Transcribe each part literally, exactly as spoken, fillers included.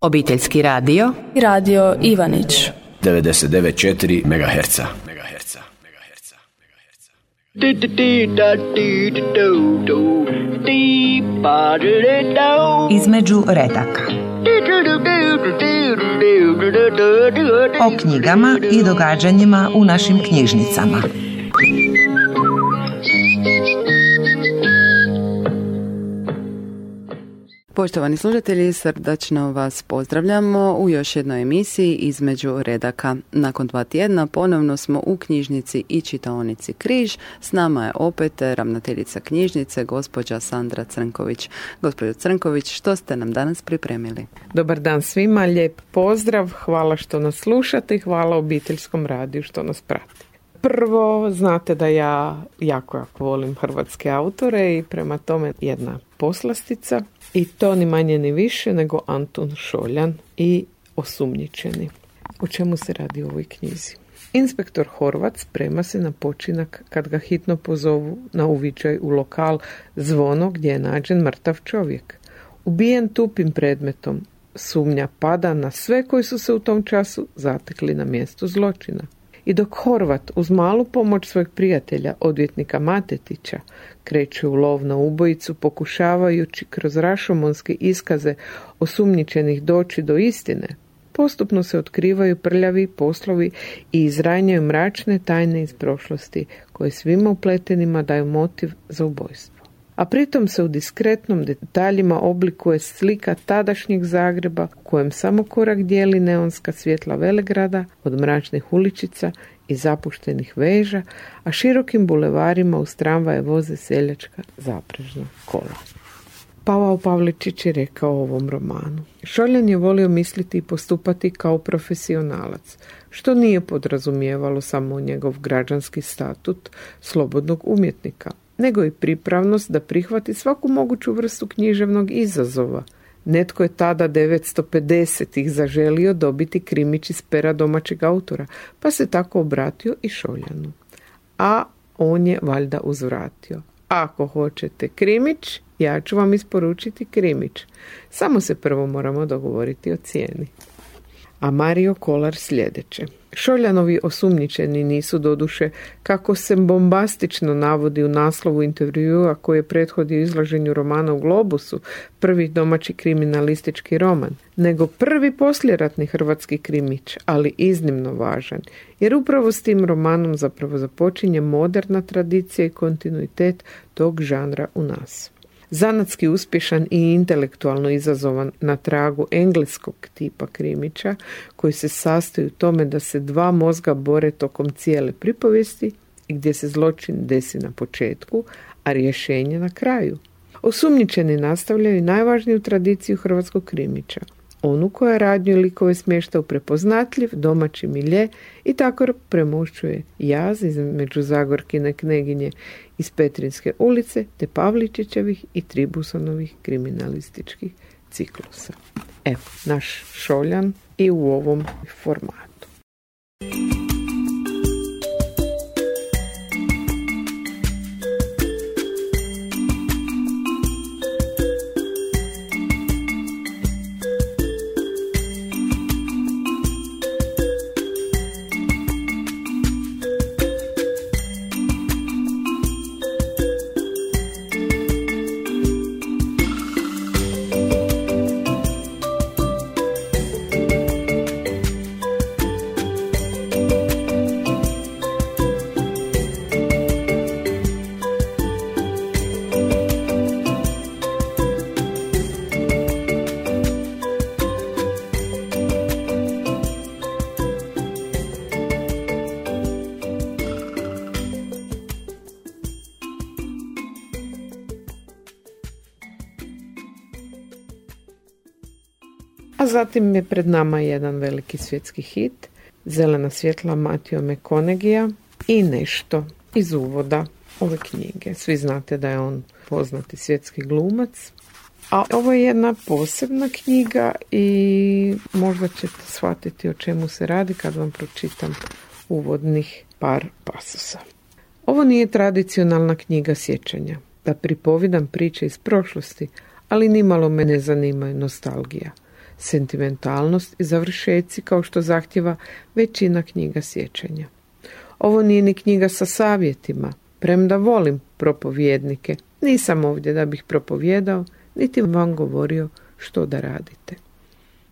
Obiteljski radio i radio Ivanić devedeset devet zarez četiri megaherca. Između redaka. O knjigama i događanjima u našim knjižnicama. Poštovani slušatelji, srdačno vas pozdravljamo u još jednoj emisiji Između redaka. Nakon dva tjedna ponovno smo u knjižnici i čitaonici Križ. S nama je opet ravnateljica knjižnice, gospođa Sandra Crnković. Gospođo Crnković, što ste nam danas pripremili? Dobar dan svima, lijep pozdrav, hvala što nas slušate i hvala Obiteljskom radiju što nas prati. Prvo, znate da ja jako, jako volim hrvatske autore i prema tome jedna poslastica. I to ni manje ni više nego Antun Šoljan i Osumnjičeni. O čemu se radi u ovoj knjizi? Inspektor Horvat sprema se na počinak kad ga hitno pozovu na uviđaj u lokal Zvono gdje je nađen mrtav čovjek. Ubijen tupim predmetom, sumnja pada na sve koji su se u tom času zatekli na mjestu zločina. I dok Horvat uz malu pomoć svojeg prijatelja, odvjetnika Matetića, kreće u lov na ubojicu pokušavajući kroz rašomonske iskaze osumnjičenih doći do istine, postupno se otkrivaju prljavi poslovi i izranjaju mračne tajne iz prošlosti koje svima upletenima daju motiv za ubojstvo. A pritom se u diskretnom detaljima oblikuje slika tadašnjeg Zagreba u kojem samo korak dijeli neonska svjetla Velegrada od mračnih uličica i zapuštenih veža, a širokim bulevarima uz tramvaje voze seljačka zaprežna kola. Pavao Pavličić je rekao o ovom romanu: Šoljan je volio misliti i postupati kao profesionalac, što nije podrazumijevalo samo njegov građanski statut slobodnog umjetnika, nego i pripravnost da prihvati svaku moguću vrstu književnog izazova. Netko je tada devetsto pedesetih zaželio dobiti krimić iz pera domaćeg autora, pa se tako obratio i Šoljanu. A on je valjda uzvratio: ako hoćete krimić, ja ću vam isporučiti krimić. Samo se prvo moramo dogovoriti o cijeni. A Mario Kolar sljedeće: Šoljanovi osumnjičeni nisu doduše, kako se bombastično navodi u naslovu intervjua koji je prethodio izlaženju romana u Globusu, prvi domaći kriminalistički roman, nego prvi poslijeratni hrvatski krimić, ali iznimno važan, jer upravo s tim romanom zapravo započinje moderna tradicija i kontinuitet tog žanra u nas. Zanatski uspješan i intelektualno izazovan na tragu engleskog tipa krimića, koji se sastoji u tome da se dva mozga bore tokom cijele pripovijesti i gdje se zločin desi na početku, a rješenje na kraju. Osumnjičeni nastavljaju najvažniju tradiciju hrvatskog krimića, onu koja radnju i likove smješta u prepoznatljiv domaći milje i tako premošćuje jaz između Zagorkine kneginje iz Petrinske ulice te Pavličićevih i Tribusonovih kriminalističkih ciklusa. Evo, naš Šoljan i u ovom formatu. A zatim je pred nama jedan veliki svjetski hit, Zelena svjetla Matthew McConaugheyja i nešto iz uvoda ove knjige. Svi znate da je on poznati svjetski glumac, a ovo je jedna posebna knjiga i možda ćete shvatiti o čemu se radi kad vam pročitam uvodnih par pasosa. Ovo nije tradicionalna knjiga sjećanja, da pripovidam priče iz prošlosti, ali nimalo me ne zanima nostalgija. sentimentalnost i završeci kao što zahtjeva većina knjiga sjećanja. Ovo nije ni knjiga sa savjetima, premda volim propovjednike, nisam ovdje da bih propovjedao, niti vam govorio što da radite.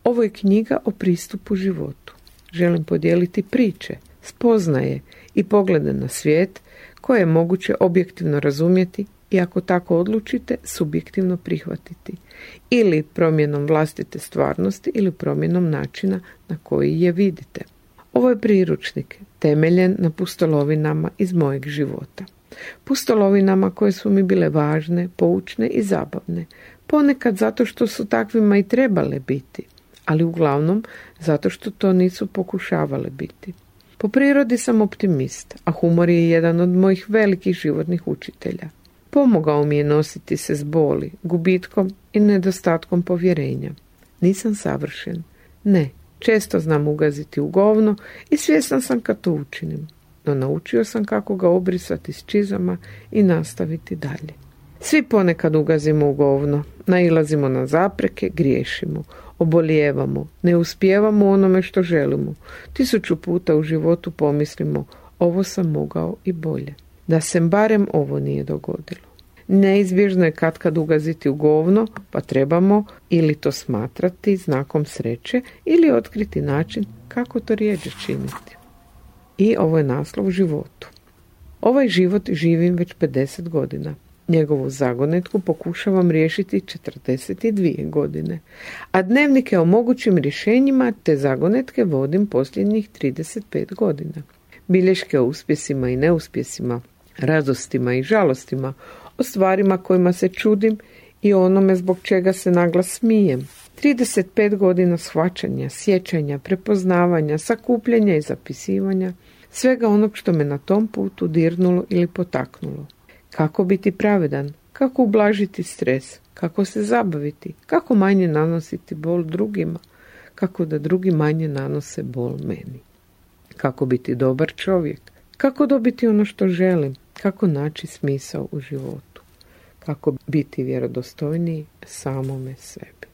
Ovo je knjiga o pristupu životu. Želim podijeliti priče, spoznaje i poglede na svijet koje je moguće objektivno razumjeti i ako tako odlučite, subjektivno prihvatiti. Ili promjenom vlastite stvarnosti ili promjenom načina na koji je vidite. Ovo je priručnik, temeljen na pustolovinama iz mojeg života. Pustolovinama koje su mi bile važne, poučne i zabavne. Ponekad zato što su takvima i trebale biti, ali uglavnom zato što to nisu pokušavale biti. Po prirodi sam optimist, a humor je jedan od mojih velikih životnih učitelja. Pomogao mi je nositi se s boli, gubitkom i nedostatkom povjerenja. Nisam savršen. Ne, često znam ugaziti u govno i svjestan sam kad to učinim. No naučio sam kako ga obrisati s čizama i nastaviti dalje. Svi ponekad ugazimo u govno, nailazimo na zapreke, griješimo, obolijevamo, ne uspijevamo u onome što želimo. Tisuću puta u životu pomislimo, ovo sam mogao i bolje. Da se barem ovo nije dogodilo. Neizbježno je katkad ugaziti u govno, pa trebamo ili to smatrati znakom sreće ili otkriti način kako to rijeđe činiti. I ovo je naslov životu. Ovaj život živim već pedeset godina. Njegovu zagonetku pokušavam riješiti četrdeset dvije godine, a dnevnike o mogućim rješenjima te zagonetke vodim posljednjih trideset pet godina. Bilješke o uspjesima i neuspjesima, radostima i žalostima, o stvarima kojima se čudim i onome zbog čega se naglas smijem. trideset pet godina shvaćanja, sjećanja, prepoznavanja, sakupljanja i zapisivanja, svega onog što me na tom putu dirnulo ili potaknulo. Kako biti pravedan, kako ublažiti stres, kako se zabaviti, kako manje nanositi bol drugima, kako da drugi manje nanose bol meni. Kako biti dobar čovjek, kako dobiti ono što želim, kako naći smisao u životu, kako biti vjerodostojniji samome sebi.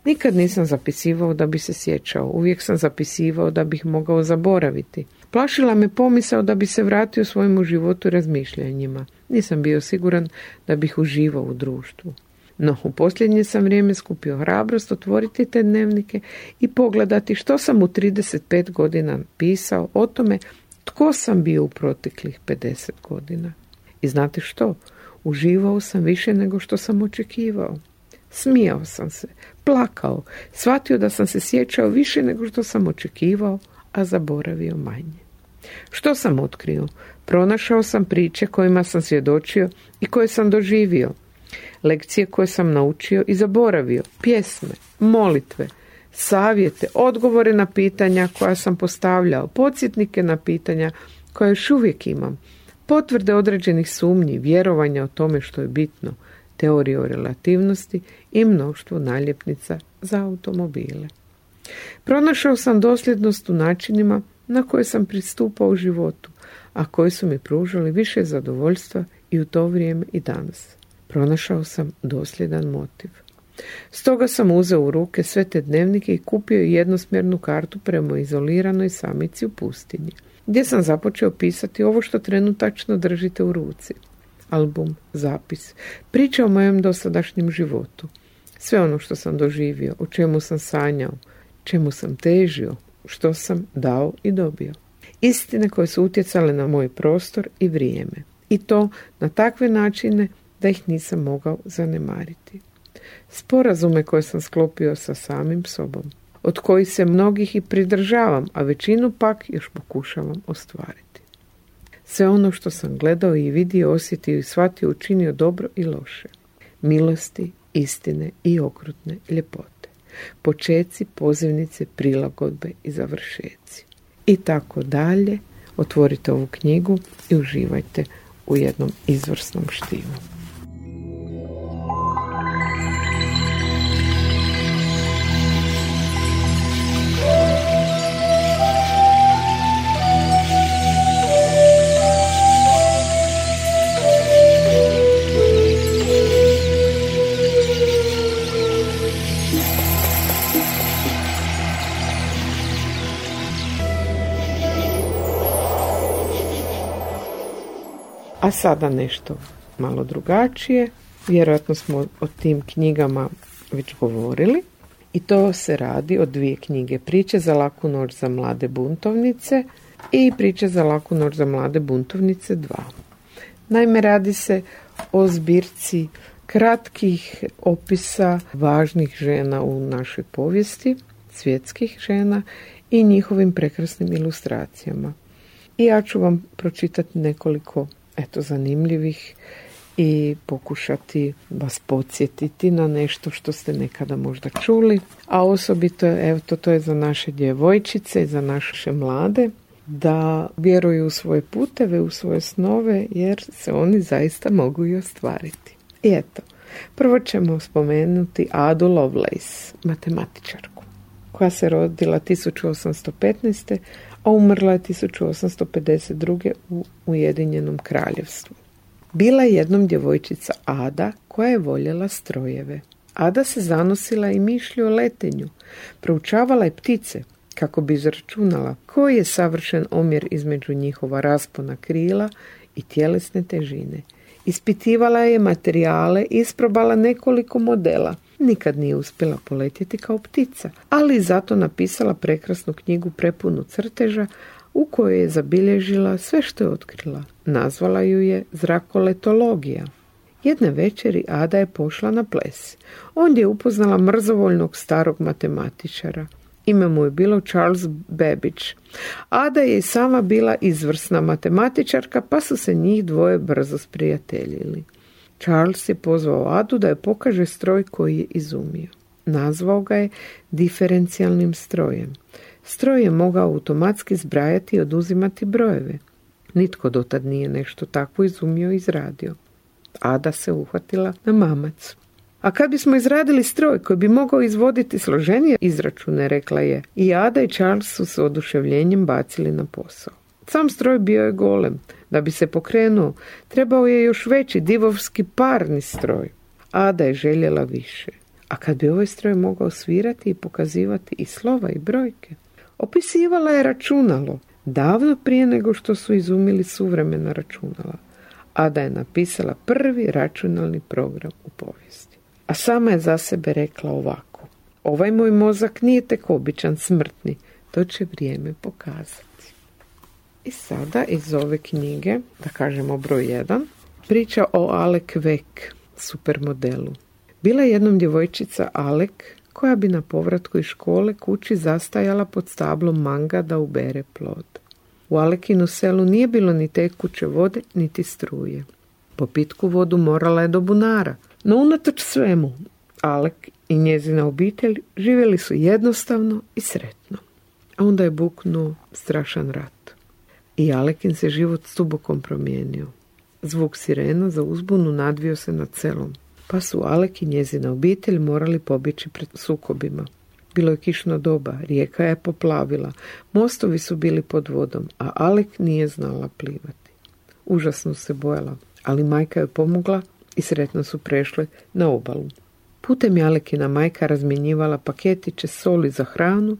Nikad nisam zapisivao da bi se sjećao, uvijek sam zapisivao da bih mogao zaboraviti. Plašila me pomisao da bi se vratio svojemu životu i razmišljanjima. Nisam bio siguran da bih uživao u društvu. No, u posljednje sam vrijeme skupio hrabrost otvoriti te dnevnike i pogledati što sam u trideset pet godina pisao o tome tko sam bio u proteklih pedeset godina. I znate što? Uživao sam više nego što sam očekivao. Smijao sam se, plakao, shvatio da sam se sjećao više nego što sam očekivao, a zaboravio manje. Što sam otkrio? Pronašao sam priče kojima sam svjedočio i koje sam doživio. Lekcije koje sam naučio i zaboravio, pjesme, molitve, savjete, odgovore na pitanja koja sam postavljao, podsjetnike na pitanja koja još uvijek imam, potvrde određenih sumnji, vjerovanja o tome što je bitno, teorije o relativnosti i mnoštvo naljepnica za automobile. Pronašao sam dosljednost u načinima na koje sam pristupao u životu, a koji su mi pružali više zadovoljstva i u to vrijeme i danas. Pronašao sam dosljedan motiv. Stoga sam uzeo u ruke sve te dnevnike i kupio jednosmjernu kartu prema izoliranoj samici u pustinji, gdje sam započeo pisati ovo što trenutačno držite u ruci. Album, zapis, priča o mojem dosadašnjem životu. Sve ono što sam doživio, o čemu sam sanjao, čemu sam težio, što sam dao i dobio. Istine koje su utjecale na moj prostor i vrijeme. I to na takve načine da ih nisam mogao zanemariti. Sporazume koje sam sklopio sa samim sobom, od kojih se mnogih i pridržavam, a većinu pak još pokušavam ostvariti. Sve ono što sam gledao i vidio, osjetio i shvatio, učinio dobro i loše. Milosti, istine i okrutne ljepote. Počeci, pozivnice, prilagodbe i završeci. I tako dalje. Otvorite ovu knjigu i uživajte u jednom izvrsnom štivu. A sada nešto malo drugačije. Vjerojatno smo o tim knjigama već govorili. I to se radi o dvije knjige. Priče za laku noć za mlade buntovnice i Priče za laku noć za mlade buntovnice dva. Naime, radi se o zbirci kratkih opisa važnih žena u našoj povijesti, svjetskih žena i njihovim prekrasnim ilustracijama. I ja ću vam pročitati nekoliko eto, zanimljivih i pokušati vas podsjetiti na nešto što ste nekada možda čuli, a osobito evo, to, to je za naše djevojčice i za naše mlade, da vjeruju u svoje puteve, u svoje snove, jer se oni zaista mogu i ostvariti. I eto, prvo ćemo spomenuti Adu Lovelace, matematičarku, koja se rodila tisuću osamsto petnaeste. a umrla je tisuću osamsto pedeset druge. u Ujedinjenom kraljevstvu. Bila je jednom djevojčica Ada koja je voljela strojeve. Ada se zanosila i mišlju o letenju, proučavala je ptice kako bi izračunala koji je savršen omjer između njihova raspona krila i tjelesne težine. Ispitivala je materijale, isprobala nekoliko modela. Nikad nije uspjela poletjeti kao ptica, ali zato napisala prekrasnu knjigu prepunu crteža u kojoj je zabilježila sve što je otkrila. Nazvala ju je Zrakoletologija. Jedne večeri Ada je pošla na ples. Ondje je upoznala mrzovoljnog starog matematičara. Ime mu je bilo Charles Babbage. Ada je i sama bila izvrsna matematičarka, pa su se njih dvoje brzo sprijateljili. Charles je pozvao Adu da je pokaže stroj koji je izumio. Nazvao ga je diferencijalnim strojem. Stroj je mogao automatski zbrajati i oduzimati brojeve. Nitko dotad nije nešto takvo izumio i izradio. Ada se uhvatila na mamac. A kad bismo izradili stroj koji bi mogao izvoditi složenije izračune, rekla je, i Ada i Charles su se oduševljenjem bacili na posao. Sam stroj bio je golem. Da bi se pokrenuo, trebao je još veći divovski parni stroj. Ada je željela više. A kad bi ovaj stroj mogao svirati i pokazivati i slova i brojke? Opisivala je računalo, davno prije nego što su izumili suvremena računala. Ada je napisala prvi računalni program u povijesti. A sama je za sebe rekla ovako: ovaj moj mozak nije tek običan smrtni, to će vrijeme pokazati. I sada iz ove knjige, da kažemo broj jedan, priča o Alec Weck, supermodelu. Bila je jednom djevojčica Alec koja bi na povratku iz škole kući zastajala pod stablom manga da ubere plod. U Alekinu selu nije bilo ni tekuće vode, niti struje. Po pitku vodu morala je do bunara, no unatoč svemu, Alec i njezina obitelj živjeli su jednostavno i sretno. A onda je buknuo strašan rat. I Alekin se život stubokom promijenio. Zvuk sirena za uzbunu nadvio se nad selom, pa su Alec i njezina obitelj morali pobjeći pred sukobima. Bilo je kišno doba, rijeka je poplavila, mostovi su bili pod vodom, a Alec nije znala plivati. Užasno se bojala, ali majka je pomogla i sretno su prešle na obalu. Putem je Alekina majka razmjenjivala paketiće soli za hranu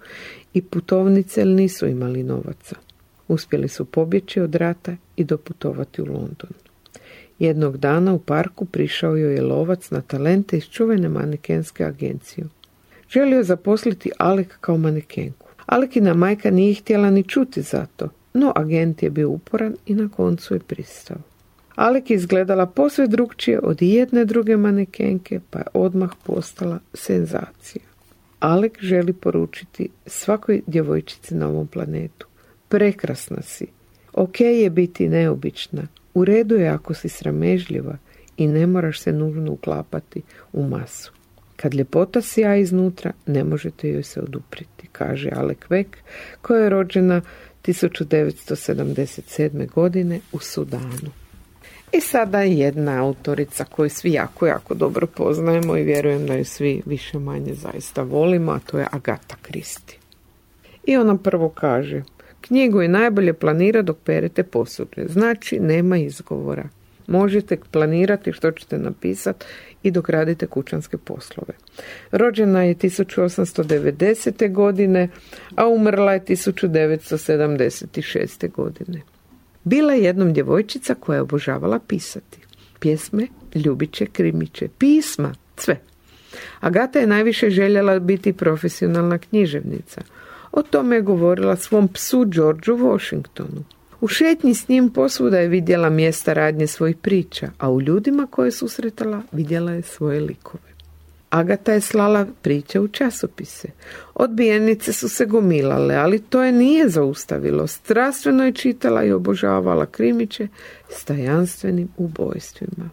i putovnice, jer nisu imali novaca. Uspjeli su pobjeći od rata i doputovati u London. Jednog dana u parku prišao joj je lovac na talente iz čuvene manekenske agencije. Želio zaposliti Alec kao manekenku. Alekina majka nije htjela ni čuti za to, no agent je bio uporan i na koncu je pristao. Alec je izgledala posve drugčije od jedne druge manekenke, pa je odmah postala senzacija. Alec želi poručiti svakoj djevojčici na ovom planetu: prekrasna si, ok je biti neobična, u redu je ako si sramežljiva i ne moraš se nužno uklapati u masu. Kad ljepota sija iznutra, ne možete joj se odupriti, kaže Alec Weck, koja je rođena tisuću devetsto sedamdeset sedme. godine u Sudanu. I sada jedna autorica koju svi jako, jako dobro poznajemo i vjerujem da ju svi više manje zaista volimo, a to je Agatha Christie. I ona prvo kaže: knjigu je najbolje planirati dok perete posuđe, znači nema izgovora. Možete planirati što ćete napisati i dok radite kućanske poslove. Rođena je tisuću osamsto devedesete. godine, a umrla je tisuću devetsto sedamdeset šeste. godine. Bila je jednom djevojčica koja je obožavala pisati. Pjesme, ljubiće, krimiće, pisma, sve. Agata je najviše željela biti profesionalna književnica. O tome je govorila svom psu Georgeu Washingtonu. U šetnji s njim posvuda je vidjela mjesta radnje svojih priča, a u ljudima koje je susretala vidjela je svoje likove. Agata je slala priče u časopise. Odbijenice su se gomilale, ali to je nije zaustavilo. Strastveno je čitala i obožavala krimiće s tajanstvenim ubojstvima.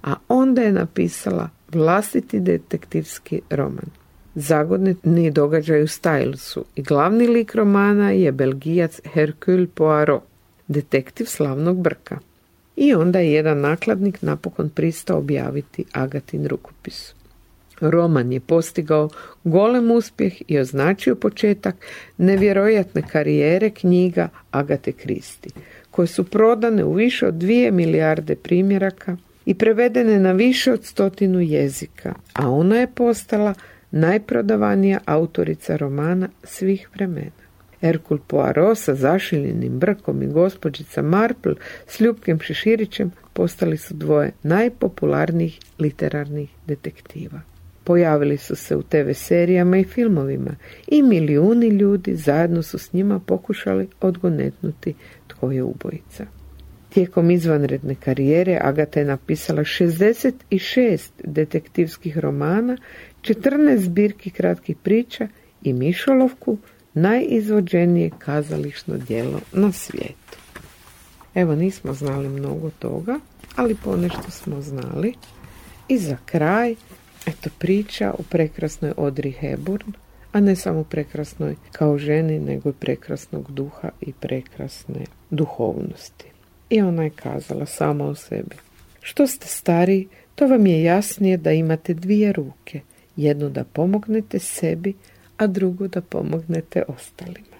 A onda je napisala vlastiti detektivski roman. Zagodni događaj u Stylesu i glavni lik romana je Belgijac Hercule Poirot, detektiv slavnog Brka. I onda je jedan nakladnik napokon pristao objaviti Agatin rukopis. Roman je postigao golem uspjeh i označio početak nevjerojatne karijere knjiga Agate Christie, koje su prodane u više od dvije milijarde primjeraka i prevedene na više od stotinu jezika, a ona je postala najprodavanija autorica romana svih vremena. Hercule Poirot sa zašiljenim Brkom i gospođica Marple s Ljupkim Šeširićem postali su dvoje najpopularnijih literarnih detektiva. Pojavili su se u te ve serijama i filmovima i milijuni ljudi zajedno su s njima pokušali odgonetnuti tko je ubojica. Tijekom izvanredne karijere Agata je napisala šezdeset šest detektivskih romana, četrnaest zbirki kratkih priča i mišolovku, najizvođenije kazališno djelo na svijetu. Evo, nismo znali mnogo toga, ali ponešto smo znali. I za kraj, eto, priča o prekrasnoj Audrey Hepburn, a ne samo prekrasnoj kao ženi, nego i prekrasnog duha i prekrasne duhovnosti. I ona je kazala sama o sebi: što ste stariji, to vam je jasnije da imate dvije ruke, jednu da pomognete sebi, a drugu da pomognete ostalima.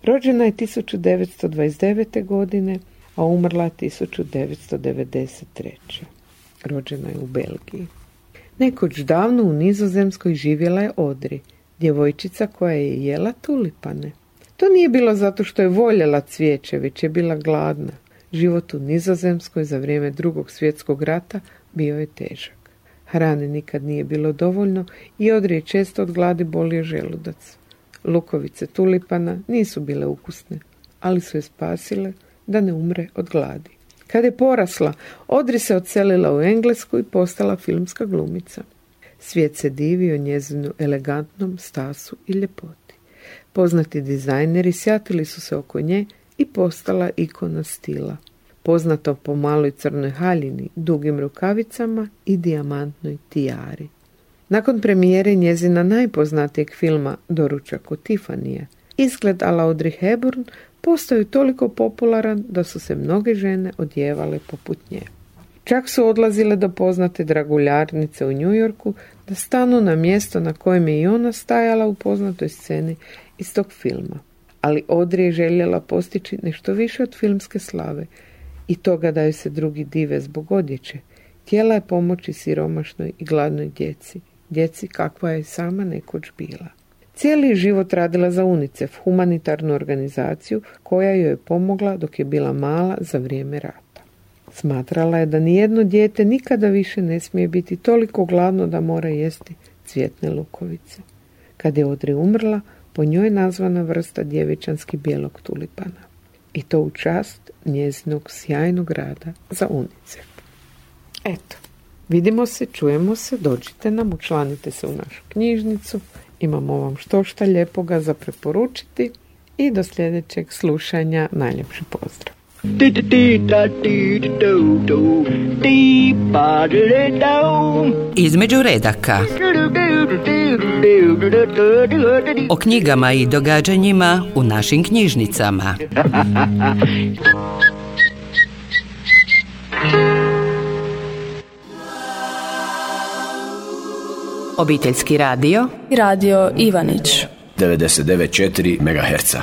Rođena je tisuću devetsto dvadeset devete. godine, a umrla tisuću devetsto devedeset treće. Rođena je u Belgiji. Nekoć davno u Nizozemskoj živjela je Audrey, djevojčica koja je jela tulipane. To nije bilo zato što je voljela cvijeće, već je bila gladna. Život u Nizozemskoj za vrijeme Drugog svjetskog rata bio je težak. Hrane nikad nije bilo dovoljno i Audrey je često od gladi bolio želudac. Lukovice tulipana nisu bile ukusne, ali su je spasile da ne umre od gladi. Kad je porasla, Audrey se odselila u Englesku i postala filmska glumica. Svijet se divio njezinu elegantnom stasu i ljepoti. Poznati dizajneri sjatili su se oko nje i postala ikona stila. Poznata po maloj crnoj haljini, dugim rukavicama i dijamantnoj tijari. Nakon premijere njezina najpoznatijeg filma Doručak od Tiffanyja, izgled a la Audrey Hepburn postao je toliko popularan da su se mnoge žene odjevale poput nje. Čak su odlazile do poznate draguljarnice u New Yorku da stanu na mjesto na kojem je i ona stajala u poznatoj sceni iz tog filma. Ali Audrey je željela postići nešto više od filmske slave i toga da joj se drugi dive zbog odjeće. Htjela je pomoći siromašnoj i gladnoj djeci, djeci kakva je sama nekoć bila. Cijeli život radila za UNICEF, humanitarnu organizaciju koja joj je pomogla dok je bila mala za vrijeme rata. Smatrala je da nijedno dijete nikada više ne smije biti toliko gladno da mora jesti cvjetne lukovice. Kad je Audrey umrla, po njoj je nazvana vrsta djevičanski bijelog tulipana. I to u čast njezinog sjajnog rada za UNICEF. Eto, vidimo se, čujemo se, dođite nam, učlanite se u našu knjižnicu. Imamo vam štošta lijepoga za preporučiti i do sljedećeg slušanja najljepši pozdrav. Između redaka. O knjigama i događanjima u našim knjižnicama. Obiteljski radio i radio Ivanić devedeset devet zarez četiri megaherca.